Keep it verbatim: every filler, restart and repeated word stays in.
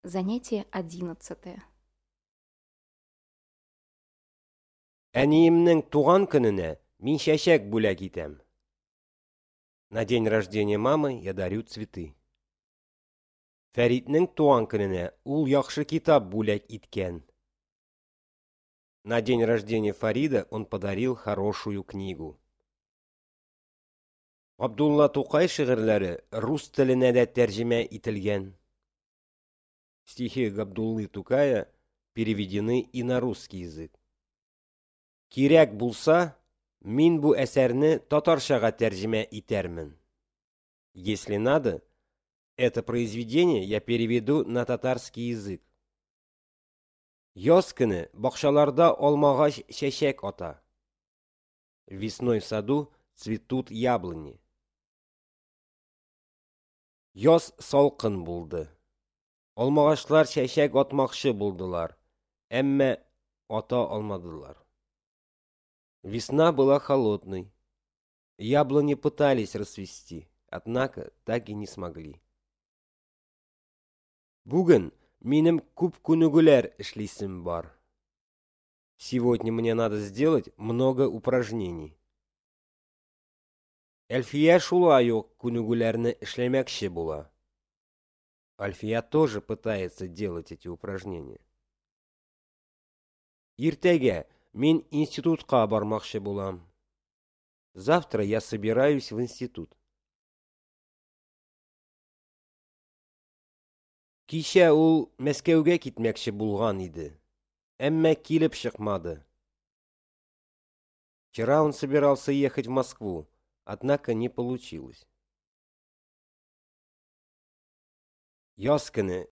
Занятие одиннадцатое. Әниемнең туган көненә мин чәчәк бүләк итәм. На день рождения мамы я дарю цветы. Фәритнең туган көненә ул яхшы китап бүләк иткән. На день рождения Фарида он подарил хорошую книгу. Габдулла Тукай шигырьләре рус теленә дә тәрҗемә ителгән. Стихи Габдуллы Тукая переведены и на русский язык. Кирәк булса, мин бу әсәрне татарчага тәрҗемә итәрмен. Если надо, это произведение я переведу на татарский язык. Яз көне бакчаларда алмагач чәчәк ата. Весной в саду цветут яблони. Яз салкын булды. Алмагачлар чәчәк атмакчы булдылар, әмма ата алмадылар. Весна была холодной. Яблони пытались расцвести, однако так и не смогли. Бүген минем күп күнегүләр эшлисем бар. Сегодня мне надо сделать много упражнений. Әлфия шулай ук күнегүләрне эшләмәкче була. Альфия тоже пытается делать эти упражнения. Иртәгә мин институтка бармакчы булам. Завтра я собираюсь в институт. Кичә ул Мәскәүгә китмәкче булган иде, әмма килеп чыкмады. Вчера он собирался ехать в Москву, однако не получилось. Яз көне